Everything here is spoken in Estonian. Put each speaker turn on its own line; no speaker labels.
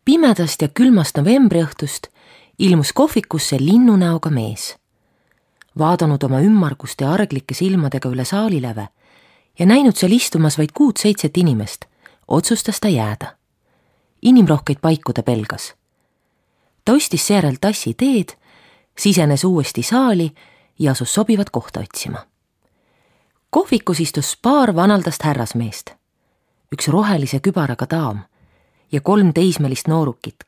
Pimedast ja külmast novembriõhtust ilmus kohvikusse linnunäoga mees. Vaadanud oma ümmarguste ja arglike silmadega üle saaliläve ja näinud seal istumas vaid 6-7 inimest, otsustas ta jääda. Inimrohkeid paiku ta pelgas. Ta ostis seejärel tassi teed, sisenes uuesti saali ja asus sobivat kohta otsima. Kohvikus istus paar vanaldast härrasmeest, üks rohelise kübaraga daam ja 3 teismelist noorukit,